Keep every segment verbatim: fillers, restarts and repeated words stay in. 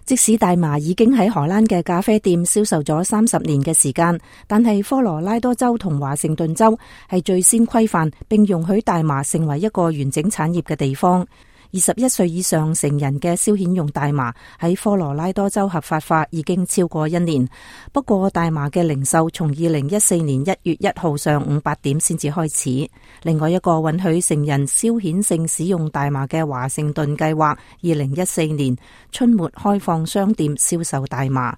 即使大麻已經喺荷蘭嘅咖啡店銷售咗三十年嘅時間，但係科羅拉多州同華盛頓州係最先規範並容許大麻成為一個完整產業嘅地方。二十一歲以上成人嘅消遣用大麻喺科羅拉多州合法化已經超過一年，不過大麻嘅零售從二零一四年一月一號上午八點先至開始。另外一個允許成人消遣性使用大麻嘅華盛頓計劃，二零一四年春末開放商店銷售大麻。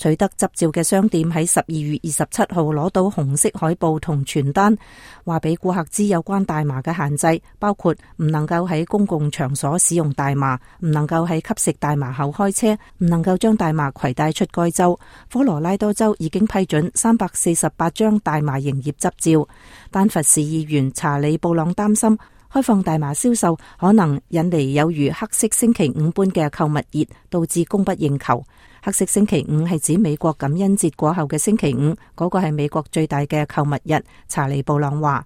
取得執照嘅商店喺十二月二十七號攞到紅色海報同傳單，話俾顧客知有關大麻嘅限制，包括唔能夠喺公共場所使用大麻，唔能夠喺吸食大麻後開車，唔能夠將大麻攜帶出該州。科羅拉多州已經批准三百四十八張大麻營業執照。丹佛市議員查理布朗擔心開放大麻銷售可能引嚟有如黑色星期五般嘅購物熱，導致供不應求。黑色星期五係指美國感恩節過後嘅星期五，嗰個係美國最大嘅購物日。查理布朗話：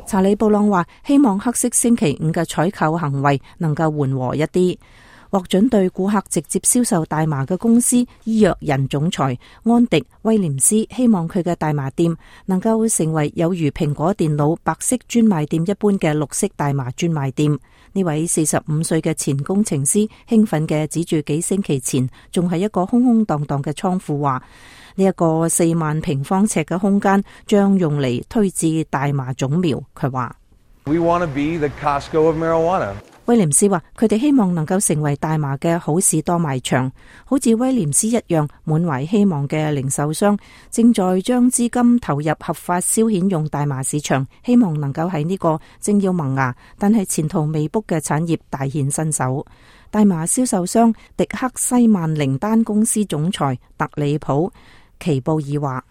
查理布朗話希望黑色星期五嘅採購行為能夠緩和一啲。獲准對顧客直接銷售大麻嘅公司醫藥人總裁安迪威廉斯希望佢嘅大麻店能夠成為有如蘋果電腦白色專賣店一般嘅綠色大麻專賣店。呢位四十五歲嘅前工程師興奮嘅指住幾星期前仲係一個空空蕩蕩嘅倉庫話：呢一個四萬平方尺嘅空間將用嚟推置大麻種苗。佢話：We want to be the Costco of marijuana。威廉斯話：佢哋希望能夠成為大麻嘅好市多賣場，好似威廉斯一樣滿懷希望嘅零售商正在將資金投入合法消遣用大麻市場，希望能夠喺呢個正要萌芽但係前途未卜嘅產業大顯身手。大麻銷售商迪克西曼靈丹公司總裁特里普奇布爾話：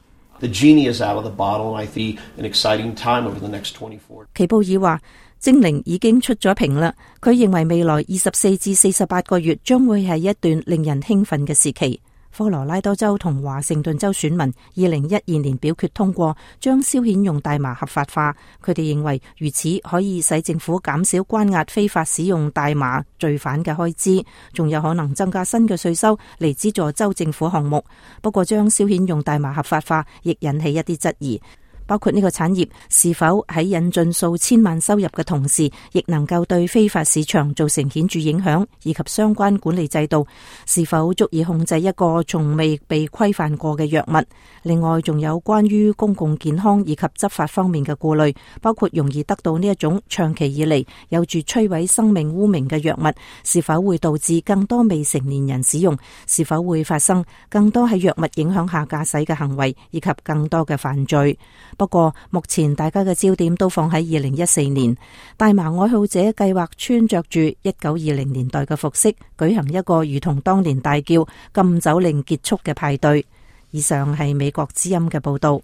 奇布爾話。精靈已經出咗瓶啦，佢認為未來二十四至四十八個月將會係一段令人興奮嘅時期。科羅拉多州同華盛頓州選民二零一二年表決通過將消遣用大麻合法化，佢哋認為如此可以使政府減少關押非法使用大麻罪犯嘅開支，仲有可能增加新嘅稅收嚟資助州政府項目。不過將消遣用大麻合法化亦引起一啲質疑，包括呢個產業是否喺引進數千萬收入嘅同時，亦能夠對非法市場造成顯著影響，以及相關管理制度是否足以控制一個從未被規範過嘅藥物。另外，仲有關於公共健康以及執法方面嘅顧慮，包括容易得到呢一種長期以嚟有住摧毀生命污名嘅藥物，是否會導致更多未成年人使用，是否會發生更多喺藥物影響下駕駛嘅行為，以及更多嘅犯罪。不過目前大家嘅焦點都放喺二零一四年，大麻愛好者計劃穿着住一九二零年代嘅服飾，舉行一個如同當年大叫禁酒令結束嘅派對。以上係美國之音嘅報道。